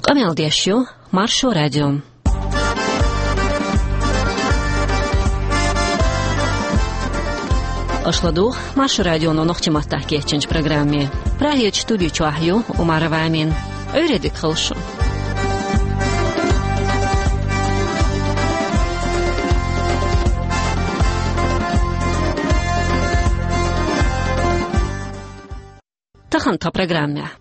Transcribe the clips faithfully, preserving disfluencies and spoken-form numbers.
Къамел деш ю Маршо радио. Аша ладугӀу Маршо радионо нохчийн маттахь кечйинчу программе. Прагерчу студи чохь ю Умарова Амина. Ӏуьйре дика хуьлда шун. Тахана тхан программехь.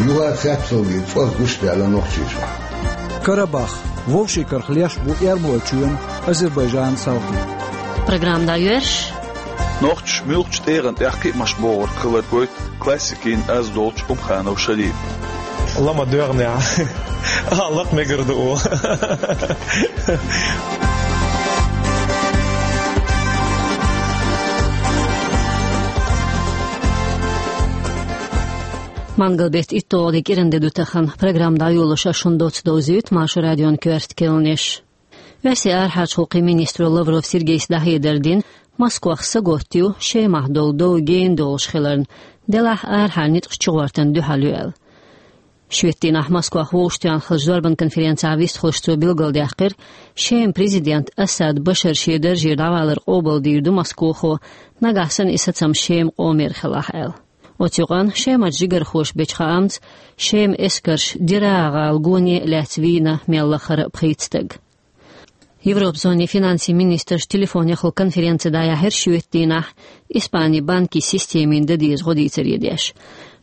Юха цецалгий цӀоз гучудаьлла Нохчийчохь. Карабах. Вовшийн карах леш бу Эрмолчоьнан, Азербайджанан салхе. Программа дӀайоьрзуш. Нохчаша муьлххачу тӀегӀан тӀехь кхиамаш богӀург хилар гойту классикийн аз долчу Умханов Шалима. Ла ма доьгӀна ахь. А, лакха мегар ду оха. Мангал беттан итталгӀа де кӀиран де ду тахана. Программа дӀайолош ас шуна доцца довзуьйту Маршо радион коьрта кхаьънаш. Оьрсийн арахьарчу гӀуллакхийн министро Лавров Сергейс дӀахьедар дина, Москвахь сагатдо Шемахь долу дов гена долуш хиларна, делахь арахьара ницкъаш чугӀортана дуьхьал ю аьлла. Шоьтан дийнахь Москвахь вовшахтоьхна хиллачу зорбан конференцехь вистхуьлуш цо билгалдаьккхира, Шеман президент Асад Башар шен даржера дӀавалар къобалдийр ду Москохо, нагахь санна и сацам Шеман къомера хилахь аьлла. Оцу юкъанна Шемарчу жигархоша бечу хаамца, Шеман эскарша Дераа гӀала гоне а лаьцна вийна мел лахара а пхийтта стаг. Европан зонин финансийн министраш телефонехула конференци дӀаяьхьира шоьтан дийнахь, Испанин банкийн системина дан деза гӀо дийцаре деш.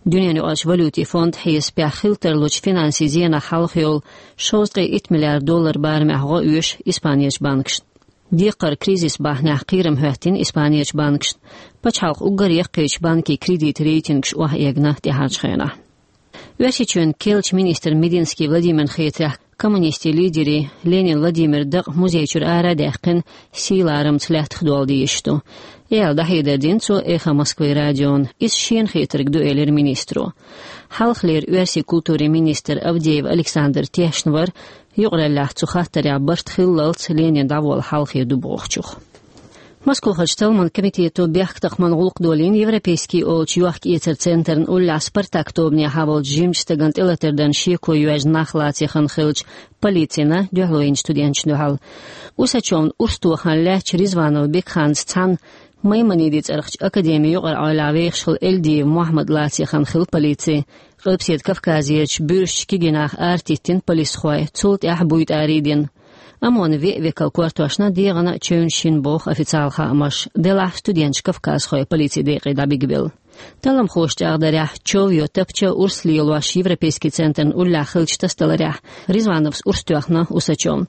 Дуьненаюкъарчу валютийн фондан хьесапехь хила тарлучу финансийн зенах хьалха йолу шовзткъе итт миллиард доллар барамехь гӀо оьшу Испанерчу банкашна. Декхаран кризисан бахьанехь кхерам хӀоьттина Испанерчу банкашна. Пачхьалкхан уггар яккхийчу банкийн кредитан рейтингаш охьаэгна тӀаьхьарчу хенахь. Оьрсийчоьнан керлачу министран Мединский Владимирна хетарехь, коммунистийн лидеран Ленин Владимиран дакъа музей чуьра ара а даьккхина, сийлахь ларамца лаьттах долла дезаш ду, аьлла дӀахьедар дина цо «Эхо Москвы» радиона. Иза шена хетарг ду, элира министро. Хьалхалера оьрсийн культурин министр Авдеев Александр тешна вара, юкъараллехь цу хаттарехь барт хиллалц Ленин дӀаволла хьалхе ду бохучух. Москвахарчу талламан комитето бехктакхаман гӀуллакх долийна Европейский олучу йохка-эцаран центрна уллехь «Спартак» тобанехьа волчу жимачу стагана тӀелатар дарна шеко йоьжна нах лацийна хилча полицина дуьхьало йинчу студенташна дуьхьал. Усачевна урс тохарна лаьттачу Ризванов Бекханца цхьаьна Маймонидийн цӀарахчу академин юкъара-Ӏойлехь вехаш хилла Эльдиев Мохьмад лацийна хилла полици. Къилбаседа Кавказерчу буьрсачу кегий нах аратиттина полисхой, цул тӀаьхьа буй тӀарий дина. ОМОН-ан веа векал кортошна дегӀана а чевнаш йина боху официалан хаамаша, делахь студенташ кавказхой полицин декъе дӀабигабелла. Талламхоша чӀагӀдарехь, чов йо тапча урс лелош Европейский центрна уллехь хиллачу тасадаларехь, Ризвановс урс тоьхна Усачевна.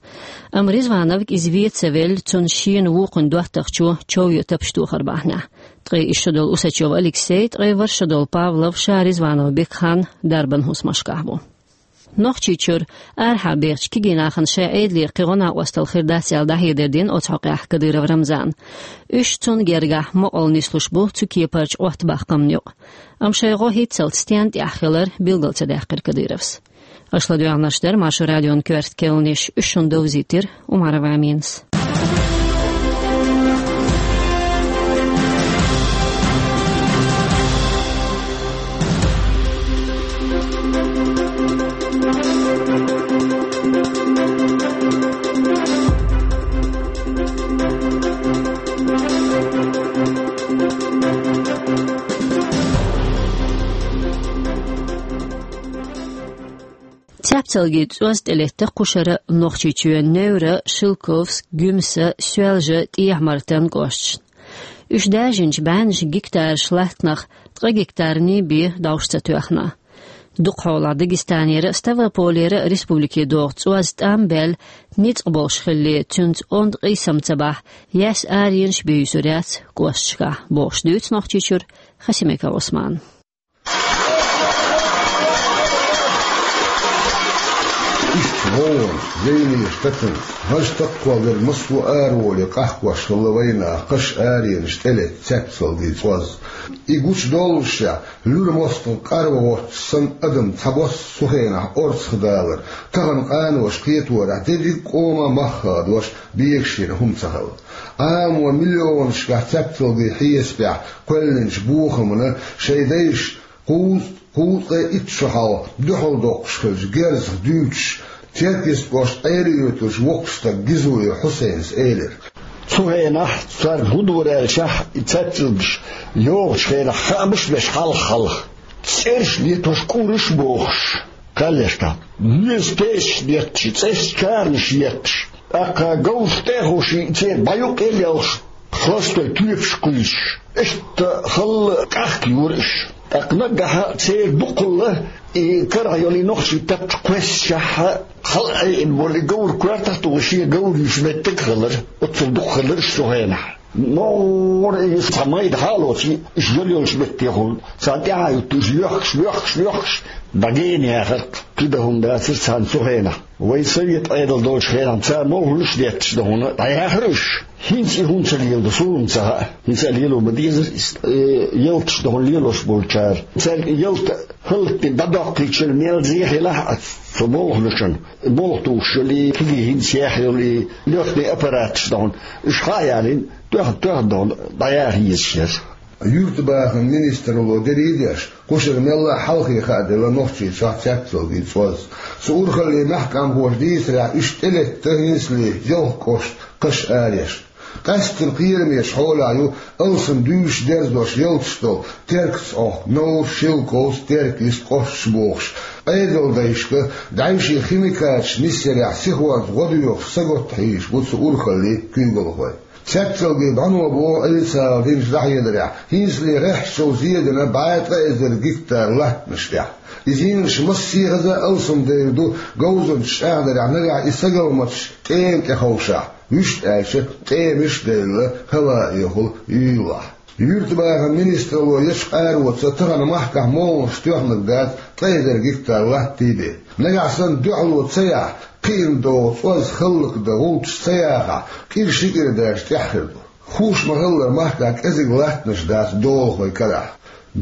Амма Ризвановга иза вен ца велла, цунна шена вукхунна доттагӀчо чов йо тапча тохар бахьанехь. Ткъе исс шо долу Усачев Алексей, ткъе ворхӀ шо долу Павлов ша Ризванов Бекхан дарбан хӀусамашкахь бу. Нохчийчуьра арахьа бехачу кегий нахана шайн Ӏедалера кхин гӀо-накъосталла хир дац аьлла дӀахьедар дина оцу хьокъехь Кадыров Рамзана. Уьш цунна гергахь мукъалла нислуш бу цу кепарчу Ӏоттабаккхамна юкъа. Амма шайн гӀо хӀинццалц стенна тӀехь хилар билгал ца даьккхира Кадыровс. Аша ладоьгӀнарш дара Маршо радион коьрта кхаьънаш, уьш шуна довзийтира Умарова Аминас. Цаьпцалгийн цӀоз тӀелетта кхушара Нохчийчоьнан Невра, Шелковск, Гуьмса, Соьлжа, ТӀехьа-Мартан кӀошташна. Уьш даржинчу бӀеннаш гектараш латтанах ткъа гектарний бен довш ца тоьхна. Дукхахьолахь Дагестанера а, Ставрополера а республике догӀу цӀоз тӀам а баьлла, ницкъ болуш хилале, цуьнца онда къийсам ца бахь, яьсса аренаш бен юьсур яц кӀошташкахь, бохуш дуьйцу Нохчийчуьра Хасимиков Ӏусмана. Иштта гӀовгӀанаш, зеленаш тацанца, хӀажа таккхол дерг массо а араволий къахкош хилла вайнах, кхаш аренаш тӀелетта цаьпцалгийн цӀоз. И гучудоллушехь, луьра мостагӀа къарван гӀоттуш санна адам цхьабосса цу хенахь орцах далар, тахана къаноша кхеторехь дерриг а къоман мах хадош бегаш йина хӀума ца хилла. Ӏамо миллионашкахь цаьпцалгийн хьесапехь кхоьллинчу бохамна шайн дайша Кхузткъе, кхузткъе итт шо хьалха дуьхьал доккхуш хилча герзах дуьйцуш, Теркйист кӀоштан Ӏелиоьтуш воккха стаг Гизоев Хьусайнас элира. Цу хенахь царна хӀун дора аьлча, и цецвилгаш йогӀучу хенахь хаамаш а беш хьалха-хьалха, цӀераш а летош, кӀураш а бохуш, кхаьллеш тӀаккха. Веза пешаш етташ, цӀераш, чарнаш етташ, тӀаккха говраш тӀе а ховший, церан бӀе юккъе а лелхаш, хьостагӀий тоьпаш кхуьйсуш, иштта халла къахка юра уьш. ТӀаккха наггахь церан дукхалла и карахь йолу и нохчийн тапча кхоьссичахь, хьала а Ӏийна волу и говр коьртах а тухуш, шен говр юьйцуш меттиг а хилира, оццул дукха хилира уьш цу хенахь. МогӀара и цхьа майда хьалоций, уьш йолу йолчу меттехула царна тӀаьхьа юттуш, йоьхкуш, йоьхкуш, йоьхкуш, дӀагена яхарх кхин дан хӀума дацара царна цу хенахь. Вайн совет Ӏедал долчу хенахь цара мовхӀалш а детташ дан хӀума дӀаяхара уьш. ХӀинца и хӀума ца леладо, суна ца хаьа. ХӀинца а лело ма дезара иза. Э, ялташ дан хӀума лелош болчара. Цаьрга ялта хӀаллакдина дӀадоккхуьйтуш мел зе хилахь а цу мовхӀалшна, мовхӀ тухуш йолу и кегий хӀинца яьхна йолу и лётный аппараташ дан хӀума, уьш хьа а ялийна, тоьхна-тоьхна дан хӀума дӀаяха езаш яра. Юьртабахаман министралло дерриг а деш, кху шарахь мелла а хьалхе хааделла Нохчийчохь цецвалгий цӀоз. Цу урхалле мехкан къамелхоша дийцарехь, уьш тӀелетта хӀинцале ялх кӀошт кхаш ареш. Къаьсттина кхерамечу хьолехь ю алсам дуьйцуш, дерзош ялташ долу Теркаца Ӏохку Новр, Шелковц, Теркйист кӀошташ бохуш. Ӏедалан дайшка дӀаьвше химикаташ нисъярехь сихонца гӀо доьхуш сагатта хьийзаш бу цу урхаллин куьйгалхой. Цецвалгий бӀаьнабогӀу Ӏийсас динчу дӀахьедарехь, хӀинцале гӀеххьачул зен дина бӀе ткъа эзар гектар латтанаш тӀехь. И зенаш массехаза алсамдевр ду говзанчаша чӀагӀдарехь, нагахь и сагалматаш тӀема тӀе ховшахь, вуьшта аьлча, тӀемаш а девлла, хӀаваэхула юьйлахь. Юьртабахаман министралло ечу къароца тахана махкахь молханаш тоьхнарг дац ткъа эзар гектар латта бен. Нагахь санна дуьхьало ца яхь, кхиъна догӀу цӀоз хӀаллакдан гӀулчаш ца яхахь, кӀира ши кӀира даьржа тӀехь хир ду. Хууш ма-хиллара, махкахь кӀезиг латтанаш дац долахойн карахь.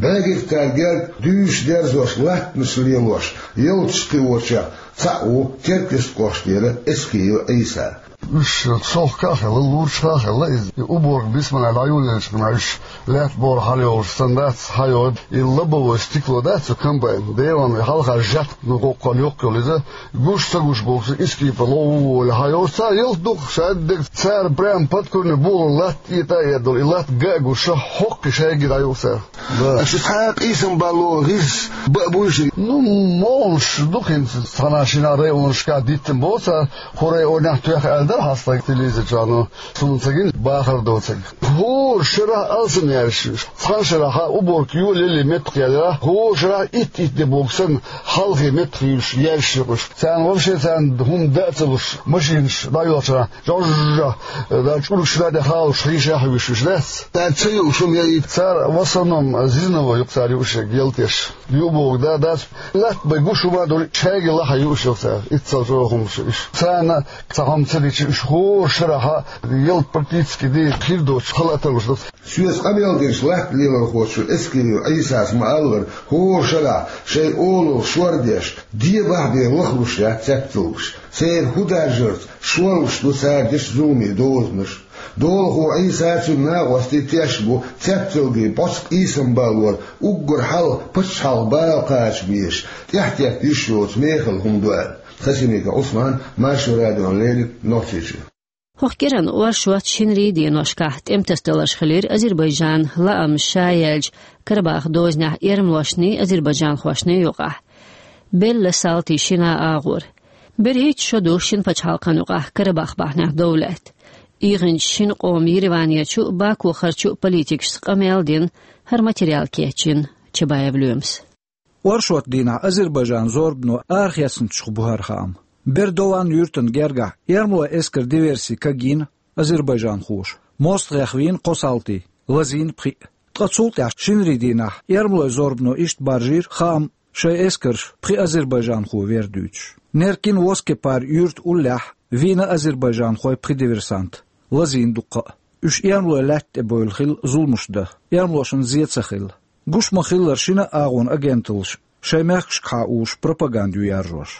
БӀе гектар герга дуьйцуш, дерзош, латтанаш лелош, ялташ кхиочех цхьаъ ву Теркйист кӀоштера Эскиев Ӏийса. Уьш шолгӀа а хилла, лургӀа а хилла иза. И уборка бисмиллахӀ дӀайолаелча, уьш лаьтта бохура хьалайолуш санна дац, хьайолу и лобовое стекло дац, цу комбайн, деван хьалха жат, ну, кхоккхал йоккха йолу иза, гуш ца гуш бохуш, иза кепара ловволу хьайолуш, цара ялта дукха, ша дерг цара прямо под корень бухара латта этӀа а эттадолу, и латта ган а гуш, хьокхуш шайга дӀайолу цара. Да. Аша цхьа а къийсам балло гӀирс бан а буй ши? Ну, молуш ду хӀинца, цхьана-шина районашкахь диттина боху цара, хӀора районехь тоьхна аьлла дара хьан стаг телевизор чохь, ну, суна ца гина, бахар доцург. ХӀора шарахь алсам яьллаш, цхьана шарахь уборка йолаеллий меттах яьлла, хӀора шарахь итт-итт де боху санна, хьалхе меттах юьйлуш, яьллаш ю уьш. Царна вообще царна хӀума дан а ца луш, машинаш дӀайолчарна, жожжа, да, чӀургаш дӀа де халуш, хьийша а хьуьйсуш, уьш дац? Цара ца юуш хӀума яйта. Цара в основном зерновой ю-кх цара юуш ерг, ялтеш. Ю боху, да, дац. Латта бен гуш хӀума а долу, шайга лахьа юуш ю-кх цара. Иццал чӀогӀа хӀумаш уьш. Царна цхьа хӀума ца дича, уьш хӀора шарахь ялта практически дийна хир доцуш, хала а тарлуш ду. Соьца къамел динчу латта лелорхочо Эскиев Ӏийсас ма-аллара, хӀора шарахь шайн олалла шор деш, дебахь бен лахлуш яц цецвалгаш. Церан хӀун даржарца шорлуш ду цара дечу зуламийн дозанаш. Долахо Ӏийса а, цуьнан накъостий тешна бу цецвалгий бӀоцу къийсам баллора уггар хьалха пачхьалкхан бала кхача безаш, тӀаьхьатетта йиш йоцу мехала хӀума ду аьлла. Хасимиков Ӏусман, Маршо радиона леррина, Нохчийчоь. ХӀокху кӀиранан оршот шинарин деношкахь тӀематасадаларш хилира Азербайджанан лаамца ша яьллачу Карабахах дозанехь эрмалошний, азербайджанхошний юкъахь. Белла салтий шина агӀор. БерхӀитта шо ду шина пачхьалкхан юкъахь Карабах бахьанехь дов лаьтта. ИгӀинчу шина къоман Ереванерчу а, Бакухарчу а политикашца къамел а дина, хӀара материал кечйина Чабаев Лоьмас. Оршот дийнахь Азербайджанан зорбано арахецначух бу хӀара хаам. Бердован юьртана гергахь эрмалойн эскаран диверси кагйина азербайджанхоша. МостагӀех вийна кхо салти, лазийна пхиъ. Ткъа цул тӀаьхьа шинарин дийнахь эрмалойн зорбано иштта баржийра хаам, шайн эскарша пхи азербайджанхо вер дуьйцуш. Неркин Воскепар юьрта уллехь вийна азербайджанхойн пхи диверсант, лазийна дуккха а. Уьш эрмалойн лаьтта тӀе бевлла хилла зуламаш дан, эрмалошна зен ца хилла. Гуш ма-хиллара, шина а агӀонан агенталлаш шайн мехкашкахьа уьш пропаганда ю яржош.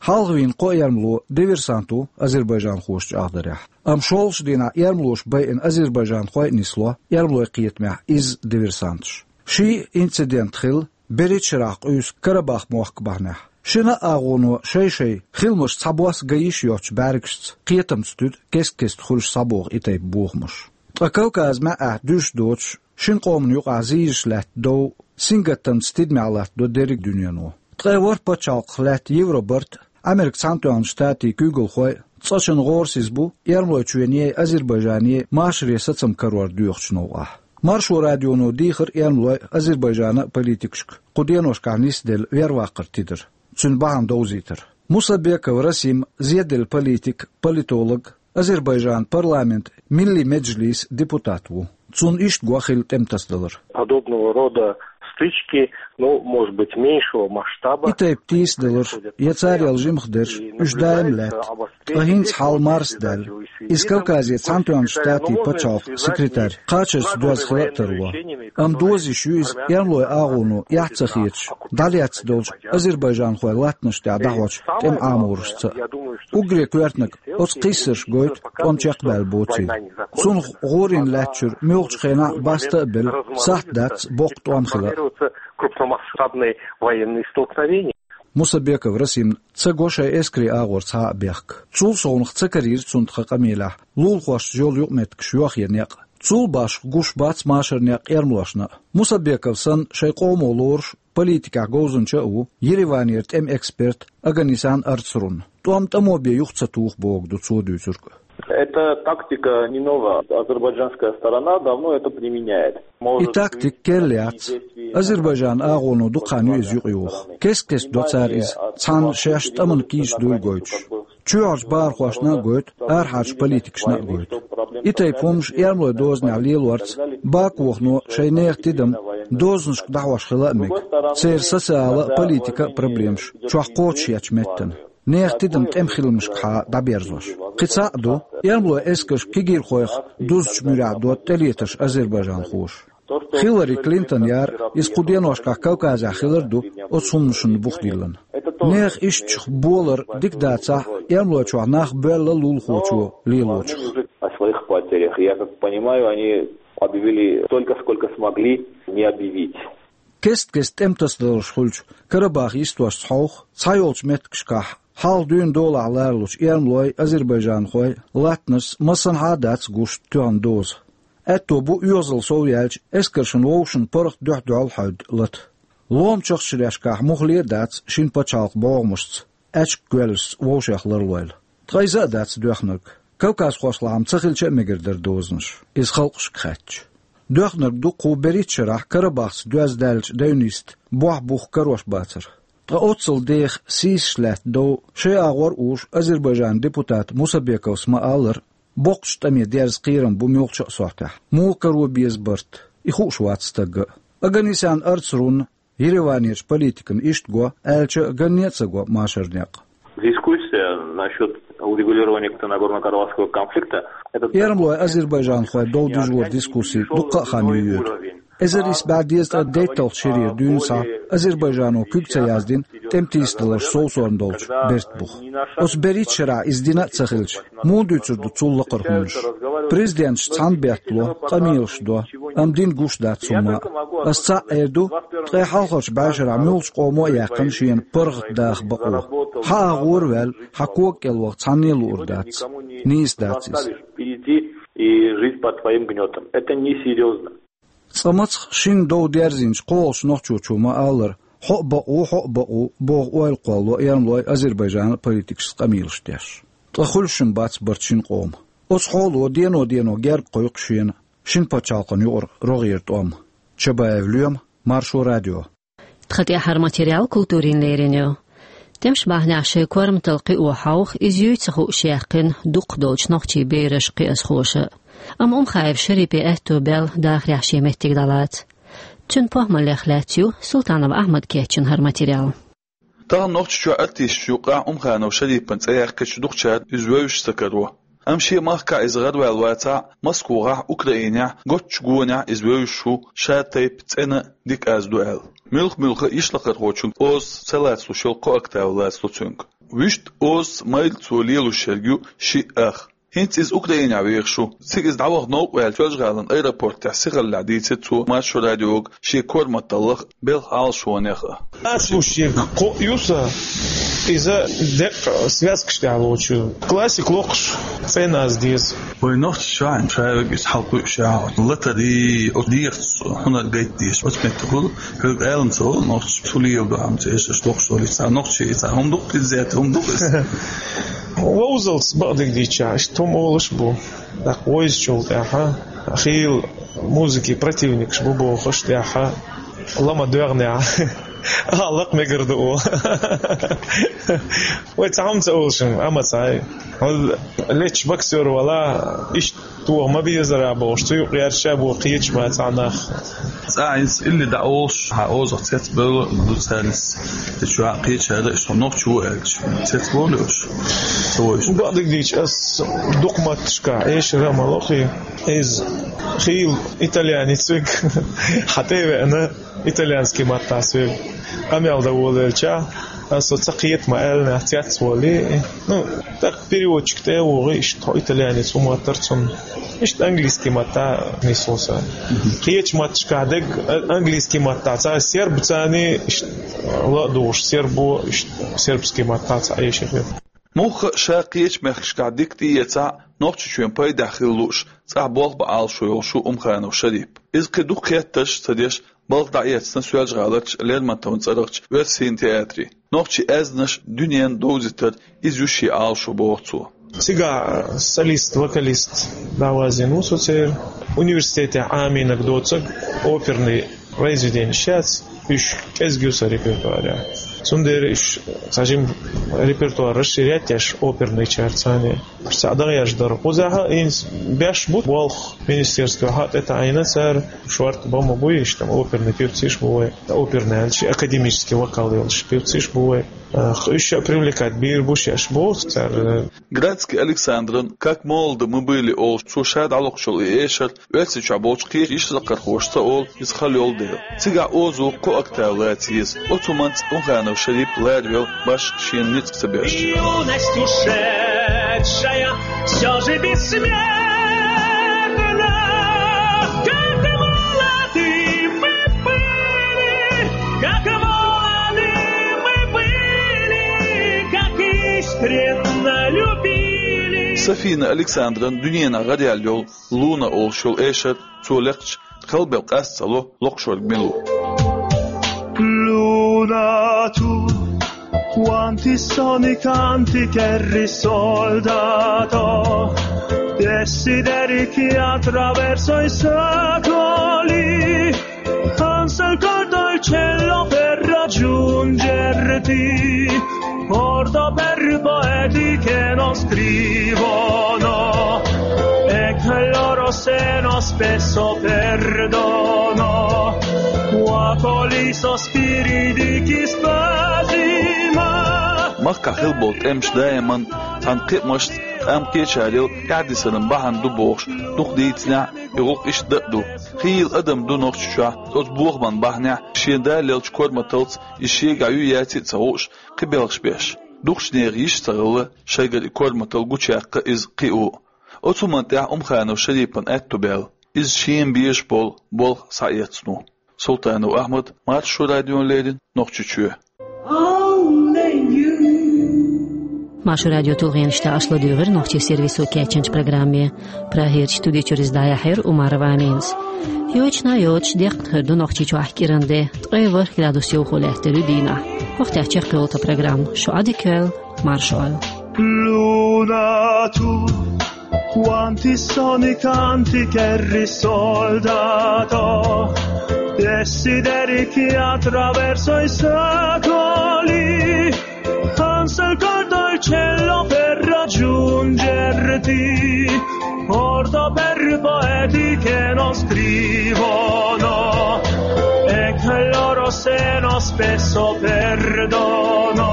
Хьалха вийна кхо эрмало диверсант ву азербайджанхоша чӀагӀдарехь. Амма шолгӀачу дийнахь эрмалоша байина азербайджанхой а нисло эрмалойн кхетамехь изза диверсанташ. Ши инцидент хилла берхӀитта шарахь къуьйсу Карабах мохк бахьанехь. Шина а агӀоно шай-шай хиламаш цхьабосса ган йиш йоцучу бӀаьргашца кхетамца туьду кест-кеста хуьлуш схьабоху и тайпа бохамаш. Ткъа Кавказ маьӀӀехь дуьйш доцуш, шина къомана юкъахь зийраш лаьтта дов сингаттамца тидамехь латтадо дерриг а дуьнено. Ткъе ворхӀ пачхьалкхах лаьтта Евробарт, Америкин Цхьаьнатоьхначу Штатийн куьйгалхой цкъачунна гӀорасиз бу Эрмалойчоьнеи Азербайджанеи машаре сацам карор доьхучу новкъахь. Маршо радионо дийхира Эрмалойн а, Азербайджанан а политикашка кху деношкахь нисделла верваккхар тидар, цуьнан бахьана довзийтар. Мусабеков Расим, зеделла политик, политолог, Азербайджанан парламентан Милли Меджлисан депутат ву. Цунна иштта го хилла тӀематасадалар. Подобного рода стычки, ну, может быть, меньшего масштаба. И тайпа тийсадаларш я царел жимхадерш, уьш даим лаьтта. Ткъа хӀинца хьал марсадаьлла. Иза Кавказе Цхьаьнатоьхначу Штатийн пачхьалкхан секретарь кхачарца доьзна хила а тарло. Амма доза йиш ю иза Эрмалойн агӀоно эхь ца хеташ, дӀалаьцна долчу азербайджанхойн латтанаш тӀехь дӀахьочу тӀеман Ӏаморашца а. Уггаре коьртаниг оцу кхиссарш гойту, тӀом чекхбаьлла боцийла. Цунах гӀорийна лаьттачуьра муьлххачу хенахь а баста а белла, сахьт дац боккха тӀом хила а. Крупномасштабные военные столкновения. Мусабеков Расимна ца го шайн эскарийн агӀор цхьа а бехк. Цул совнаха ца карийра цунна тхан къамелехь лулахошца йолу юкъаметтигаш йохъен некъ. Цул башха гуш бац машаран некъ эрмалошна а. Мусабеков санна шайн къомо лоруш политикехь говзанча а ву Ереванера тӀеман эксперт Оганесян Арцрун. ТӀом тӀамо бен юха ца туху бохург ду цо дуьйцург. Эта тактика не нова. Азербайджанская сторона давно это применяет. И тактика керла яц. Азербайджанан агӀоно дукха хан ю иза юкъайоху. Кест-кеста до цара иза, цхьана шаьш тӀамна кийча дуйла гойтуш. Чоьхьарчу бахархошна а гойту, арахьарчу политикашна а гойту. И тайпа хӀуманаш Эрмалойн дозанехь лелорца Бакуно шайн нехан тидам дозанашка дӀахьош хила а мега. Церан социала а, политика а проблемаш чохь кхочушъечу меттана. Нехан тидам тӀеман хиламашкахьа дӀаберзош. Кхин цхьаъ ду, Эрмалойн эскарш кегийрхойх дузучу муьрехь до тӀелетарш азербайджанхоша. Хиллари Клинтон яра, иза кху деношкахь Кавказехь хилар а ду оцу хӀуманашна бух диллина. Нехан ишттачух болар дика дацахь а, Эрмалойчохь нах боьлла лулахочо лелочух. О своих потерях. Я как понимаю, они объявили столько, сколько смогли не объявить. Кест-кеста тӀематасадаларш хуьлучу Карабах йистошца хьовха, цхьайолчу меттигашкахь хьалха дуьйна долахь ларалучу эрмалойн, азербайджанхойн латтанашца массанхьа а дац гуш тоьхна доза. Аьтто бу оьгӀазалла сов яьлча эскаршна вовшашна паргӀат дуьхь-дуьхьал хьаьвда лата. Ломачу ахчанашкахь муххале а дац шина пачхьалкхан бӀогӀамашца, аьчка гоьллашца вовшех ларлойла. Ткъа иза а дац доьхнарг. Кавказхошлахь-м ца хилча а мегар дара дозанаш, иза халкъашка хаьттича. Доьхнарг ду кху берхӀитта шарахь Карабахца доьзна даьллачу девнистан бохь-бух карош бацар. Ткъа оццул деха сийсаш лаьтта дов шайн агӀор а уьш Азербайджанан депутата Мусабековс ма-аллара, боккхачу тӀаме дерза кхерам бу муьлххачу а сохьтехь. Муха каро беза барт, и хууш вац стагга а. Оганесян Арцрунна Ереванерчу политикана иштта го аьлча а, ганне а ца го машаран некъ. Дискуссия насчёт урегулирования Нагорно-Карабахского конфликта, это... Эрмалойн, азербайджанхойн дов дужоран дискусси дуккха а хан ю йоьду. Эзар исс бӀе дезткъе дейтталгӀачу шерера дуьйна схьа Азербайджано куьг ца яздина тӀематийсадаларш совсорна долчу бертан бух. Оцу берхӀитта шарахь иза дина а ца хилча, муха дуьйцур ду цул лакхара хӀуманаш? Президенташ цхьаьна беттало, къамелаш до, амма дина гуш дац хӀумма а. Ас цхьаъ эр ду, ткъе хьалхарчу бӀешарахь муьлххачу къомо а яьккхина шена паргӀат даха бакъо. Хьан агӀора а ваьлла, хьан кога кӀел ваха цхьанне а луур дац. Нийса дац иза. Перейти и жить под твоим гнётом. Это несерьёзно. Цкъа мацах шина дов дерзийначу кхоалгӀачу нохчочо ма-аллара, хьо а бакъ ву, хьо а бакъ ву боху ойла кхоллало Эрмалойн, Азербайджанан политикашца къамелаш деш. Ткъа хуьлуш-м бац барт шина къоман. Оцу хьоло дено-дено герга кхойкху шена шина пачхьалкхана юкъара рогӀера тӀом. Чабаев Лоьма, Маршо радио. Тхан тӀаьхьара материал культурин лерина ю. ТӀемаш бахьанехь шайн корматалла кхио хьовха, иза юй ца хууш яьккхина дукхах долчу нохчийн бераш, кхиазхоша. Амма Умхаев Шарипе аьтто баьлла дахарехь шен меттиг дӀалаца. Цуьнан похӀмаллех лаьцна ю Султанов Ахьмада кечйина хӀара материал. Тахана Нохчийчохь артисташна юкъахь Умханов Шарипан цӀе яьккхича дукхачара иза вевзаш ца каро. Амма шен махкахь иза гӀараваьлла вацахь а, Москвахь, Украинехь, готтачу гонехь иза вевзаш ву, шатайпа цӀена дика аз ду аьлла. Муьлхха-муьлхха йишлакхархочун озаца ца лацалуш йолу кхо октава лацало цуьнга. Вуьшта озаца майрра цо лелош ерг ю шиъ ах. ХӀинца иза Украинехь вехаш ву. Цига иза дӀаваха новкъа ваьлча, Соьлжа-ГӀалин аэропортехь сихаллехь дийцира цо Маршо радиога шен корматаллах, белхан Ӏалашонех а. Ас ву шега кхоъ ю сан, иза деккъа связкаш тӀехь лоцуш ю. Классик локхуш, цӀена аз деза. Вай нохчи чохь ша верг иза хьалкхуьуш яхьа. Латарий, оцу дехаца хӀунар гайта дезаш. Оцу меттехула, хьоьга алам ца олу, нохчи чу лела ду хьама ца эшаш локхуш валий. Цхьа нохчи, цхьа хӀума ду-кх иза, хӀума ду-кх иза. Вовзалц бакъдерг дийцча, иштта хӀума олуш бу. ТӀаккха вовзачул тӀаьхьа, хийла музыки противникаш бу бохуш тӀаьхьа, ла ма доьгӀнехь, а, лакха мегар ду олу. Вай цхьа хӀума ца олуш, амма цхьа. Лечча боксёр вала, иштта тоха ма безара бохуш, цу юкъ гӀерташ бу кхечу бацахь нах. Цкъа иза илли дӀа олуш, хьан озах цецбевлла ду цаьрца. Течу кхечара иштта нохчи ву аьлча, цецбовлий уьш? Ца вовзуш. Бакъдерг дийцча, ас дукха матташкахь эшар а ма ло хи. Иза хийла итальянец верг, хьан тӀе а веана, итальянский маттахь соьга къамел дан волавелча, ас со ца кхета ма аьлла, нах цецволий. Ну, тӀаккха переводчик тӀе а вогӀий, иштта хьо итальянец ву моттара цунна. Иштта английский маттахь нисло сан. Кхечу матташкахь дерг, а, английский маттахь цхьа серб царний, иштта ла а дугӀуш сербо, иштта сербский маттахь цхьа эшар ю. Мухха а ша кхечу мехкашкахь дика тӀеэцахь а, Нохчийчоьнан пайдехь хила лууш, цӀахь болх бан Ӏалашо йолуш ву Умханов Шарип. Иза кхин дукха хеттарш а ца деш, балха дӀаэцна Соьлжа-ГӀаларчу Лермонтовн цӀарахчу оьрсийн театре. Нохчийн аьзнаш дуьненна довзийтар иза ю шен Ӏалашо, боху цо. Цигахь солист, вокалист дӀавазийна ву со церан. Университетехь Ӏамийнарг доцург оперный произведенеш яц, уьш кӀезиг ю сан репертуарехь. Цундела уьш цхьа жима репертуар расширять еш оперныйчаьрца. Уьш цхьаъ дагӀеш дара. Кхузахь а хӀинца беш бу болх, министерствехь а тӀетаӀийна цара, шортта бан ма буй, иштта оперный певцаш бу вай, оперный аьлча, академический вокал йолуш певцаш бу вай. Э, уьш а привлекать бийр бу шаьш боху цара. Градский Александран «Как молоды мы были» олуш, цо ша дӀалохуш йолу и эшар Оьрсийчохь болчу кхечу йишсакхархоша ца олу, иза хала йолу дела. Цигахь озо кхо октава лаца еза. Оцу хӀуманца Умханов Шарип ларавелла башха шена ницкъ ца беш. Юность ушедшая всё же бессмертна, как молоды мы были, как молоды мы были, как искренно любили. Сафина Александран дуьненахь гӀараяьлла йолу «Луна» олуш йолу эшар цо лекхча, кхалбелла къаста ца ло локхуш верг мила ву. Luna tu, quanti soni, canti che risoldato, desideri che attraverso i secoli, anzi il corpo e il cielo per raggiungerti, porto per poeti che non scrivono e che il loro seno spesso perdono, cuoco i sospiri di chi spesima. Махкахь хилла болу тӀемаш даиман цхьана кхиамашца, къам кхечарел тӀаьхьадисаран бахьана ду бохуш, дукха дийцинехь, и гӀуллакх иштта дан а ду. Хийла адам ду Нохчийчохь, оцу бохаман бахьанехь, шен даллелчу корматалц иза шегахь юй яций а ца хууш, кхин белхаш беш. Дукхачу нехан йиш а ца хилла, шайгара и корматалла гучуяккха иза кхио. Оцу хӀуманна тӀехь Умханов Шарипан аьтто баьлла, иза шена безаш болу болх схьаэцна ву. Султанов Ахьмад, Маршо радиона леррина, Нохчийчоь. Маршо радион тулгӀенаш тӀехь аша ладуьйгӀира нохчийн сервисо кечйинчу программе. Прагерчу студи чуьра иза дӀаяьхьира Умарова Аминас. Йочана йоцуш, деккъа хир ду Нохчийчохь кӀиран де, ткъе ворхӀ градус йовхо лаьттар ю дийнахь. ХӀокху тӀехь чекхйолу тхан программа. Шу Ӏадика йойла, марша Ӏойла. Luna tu, quanti soni, canti che risoldato, desideri che attraverso i secoli, anzi il corpo e il cielo per raggiungerti, porto per poeti che non scrivono e che il loro seno spesso perdono,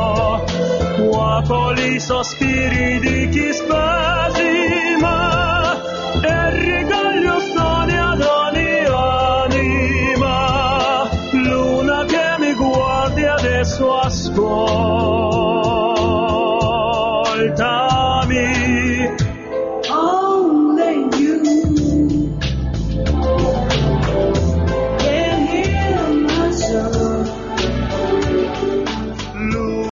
cuoco i sospiri di chi spesima.